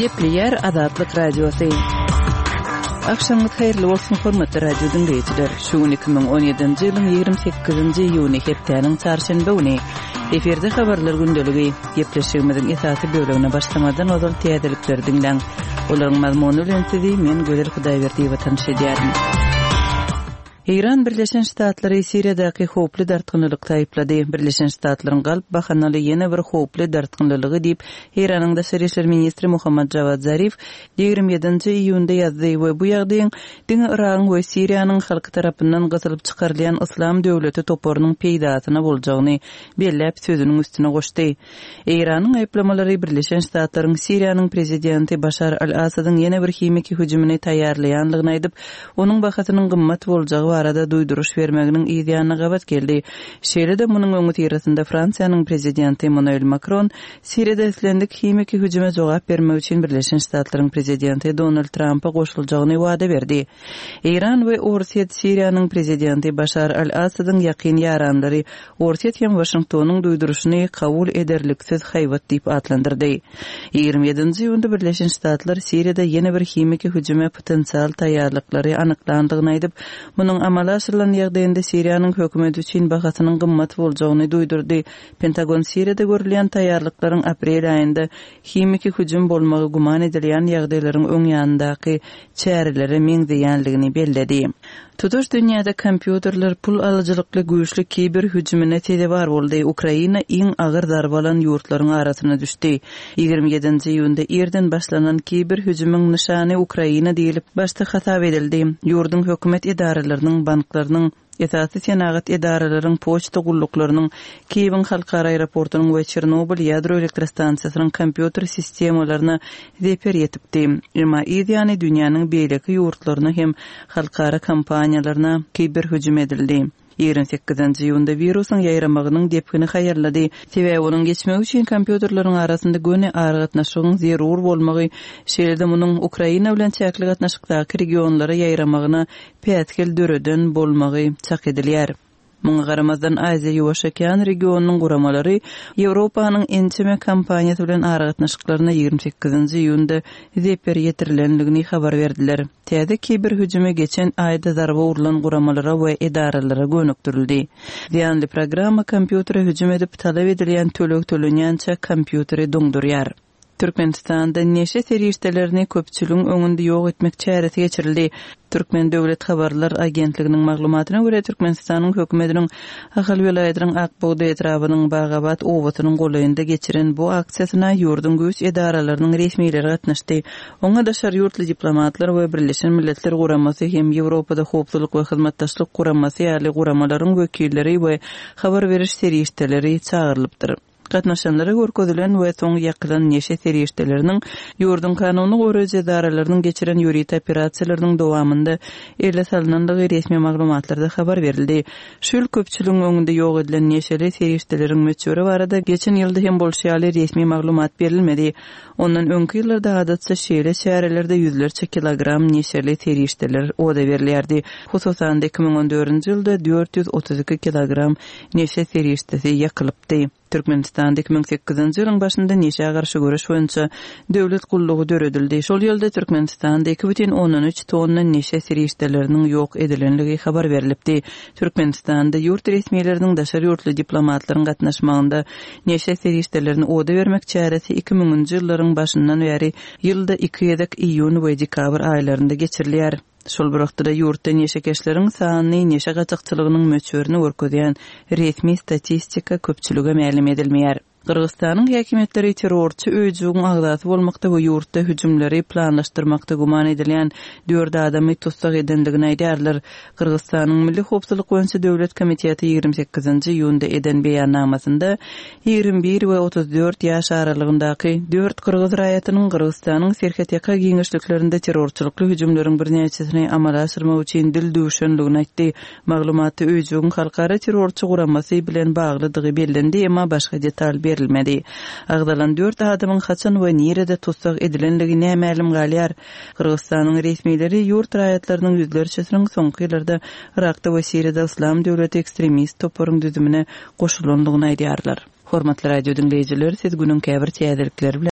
Gepleýär Azatlyk Radiosy. Agşamyňyz haýyrly bolsun, hormatly radio diňleýjiler! Şu gün 2017-nji ýylyň 28-nji iýuny, hepdäniň çarşenbe güni. Efirde habarlar gündeligi. Gepleşigimiziň esasy bölegine başlamazdan ozal täzelikleri diňläň. Olaryň mazmuny bilen sizi men Gözel Hudaýberdiýewa tanyş edýärin. Eýran Birleşen Ştatlary Siriýadaky howply dartgynlylykda aýyplady. Birleşen Ştatlaryň galp bahanaly ýene bir howply dartgynlylygy diýip, Eýranyň daşary işler ministri Mohammad Jawad Zarif 27-nji iýunda ýazdy we bu ýagdaýyň diňe Yragyň we Siriýanyň halky tarapyndan gysylyp çykarylýan Yslam döwleti toparynyň peýdasyna boljagyny belläp sözüniň üstüne goşdy. Eýranyň aýyplamalary Birleşen Ştatlaryň Siriýanyň prezidenti Başar al-Assadyň ýene bir himiki hüjümini taýýarlaýanlygyny aýdyp, onuň bahasynyň gymmat boljagy barada duýduryş bermeginiň yz ýanyna gabat geldi. Şeýle-de munuň öňüsyrasynda Fransiýanyň prezidenti Emmanuel Makron Siriýada islendik himiki hüjüme jogap bermek üçin Birleşen Ştatlaryň prezidenti Donald Trampa goşuljagyny wada berdi. Eýran we Orsýet Siriýanyň prezidenti Başar al-Assadyň ýakyn ýaranlary Orsýet hem Waşingtonyň duýduryşyny kabul ederliksiz haýbat diýip atlandyrdy. 27-nji iýunda Birleşen Ştatlar Siriýada ýene bir himiki hüjüme potensial taýýarlyklary anyklandygyny aýdyp, munuň amala aşyrylan ýagdaýynda Siriýanyň hökümeti üçin bahasynyň gymmat boljagyny duýdurdy. Pentagon Siriýada görülýän taýýarlyklaryň aprel aýynda himiki hüjüm bolmagy güman edilýän ýagdaýlaryň öň ýanyndaky çärelere meňzeýänligini belledi. Tutuş dünýäde kompýuterler pul alyjylykly güýçli kiber hüjümine sezewar boldy. Ukraina iň agyr zarba alan ýurtlaryň arasyna düşdi. 27-nji iýunda irden başlanan kiber hüjümiň nyşany Ukraina diýlip başda hasap edildi. Ýurduň hökümet edaralarynyň, banklarynyň, Esasy senagat edaralaryň, poçta gulluklarynyň, Kiýewiň halkara aeroportunyň we Çernobyl ýadro elektrostansiýasynyň kompýuter sistemalaryna zeper ýetipdi. Emma yz ýany dünýäniň beýleki ýurtlaryna hem halkara kompaniýalaryna kiberhüjüm edildi. 28-nji iýunda wirusyň ýaýramagynyň depgini haýallady, sebäbi onuň geçmegi üçin kompýuterleriň arasynda göni aragatnaşygyň zerur bolmagy, şeýle-de munuň Ukraina bilen çäkli gatnaşykdaky regionlara ýaýramagyna päsgel döreden bolmagy çak edilýär. Muňa garamazdan, Aziýa-Ýuwaş okean regionynyň guramalary Ýewropanyň ençeme kompaniýasy bilen aragatnaşyklaryna 28-nji iýunda zeper ýetirilendigini habar berdiler. Täze kiber hüjümi geçen aýda zarba urlan guramalara we edaralara gönükdirildi. Zyýanly programma kompýutere hüjüm edip, talap edilýän töleg tölenýänçä kompýuteri doňdurýar. Türkmenistanda neşe serişdelerini köpçüligiň öňünde ýok etmek çäresi geçirildi. Türkmen döwlet habarlar agentliginiň maglumatyna görä, Türkmenistanyň hökümetiniň Ahal welaýatynyň Ak bugdaý etrabynyň Bagabat obasynyň golaýynda geçiren bu aksiýasyna ýurduň güýç edaralarynyň resmileri gatnaşdy. Oňa daşary ýurtly diplomatlar we Birleşen Milletler Guramasy hem Ýewropada Howpsuzlyk we Hyzmatdaşlyk Guramasy ýaly guramalaryň wekilleri we habar beriş serişdeleri çagyrylypdyr. Gatnaşanlara görkezilen we soň ýakylan neşe serişdeleriniň ýurduň kanuny goraýjy edaralarynyň geçiren ýörite operasiýalarynyň dowamynda ele salnandygy resmi maglumatlarda habar berildi. Şu ýyl köpçüligiň öňünde ýok edilen neşeli serişdeleriň möçberi barada geçen ýylda hem bolşy ýaly resmi maglumat berilmedi. Ondan öňki ýyllarda adatça şeýle çärelerde ýüzlerçe kilogram neşeli serişdeler oda berilýärdi. Hususan-da, 2014-nji ýylda 432 kilogram neşe serişdesi ýakylypdy. Türkmenistanda 2008-nji ýylyň başynda neşä garşy göreş boýunça döwlet gullugy döredildi. Şol ýylda Türkmenistanda 2,3 tonna neşe serişdeleriniň ýok edilenligi habar berlipdi. Türkmenistanda ýurt resmileriniň daşary ýurtly diplomatlaryň gatnaşmagynda neşe serişdelerini oda bermek çäresi iki müňünji ýyllaryň başyndan bäri ýylda iki gezek iýun we dekabr aýlarynda geçirilýär. Şol bir wagtda-da ýurtda neşekeşleriň sanyny, neşe gaçakçylygynyň möçberini görkezýän resmi statistika köpçülige mälim edilmeýär. Gyrgyzystanyň häkimiýetleri terrorçy öýjügiň agzasy bolmakda we ýurtda hüjümleri planlaşdyrmakda güman edilýän dört adamy tussag edendigini aýdýarlar. Gyrgyzystanyň Milli howpsuzlyk boýunça döwlet komiteti 28-nji iýunda eden beýannamasynda 21 we 34 ýaş aralygyndaky dört gyrgyz raýatynyň Gyrgyzystanyň serhetýaka giňişliklerinde terrorçylykly hüjümleriň birnäçesini amala aşyrmak üçin dil düwşenligini aýtdy. Maglumatda öýjügiň halkara terrorçy guramasy bilen baglydygy bellendi, emma başga detal berilmedi. Agzalan dört adamyň haçan we nirede tussag edilenligi nämälim galýar. Gyrgyzystanyň resmileri ýurt raýatlarynyň ýüzlerçesiniň soňky ýyllarda Yrakda we Siriýada Yslam döwleti ekstremist toparyň düzümine goşulandygyny aýdýarlar. Hormatly radio diňleýjiler, siz günüň käbir täzelikleri bilen.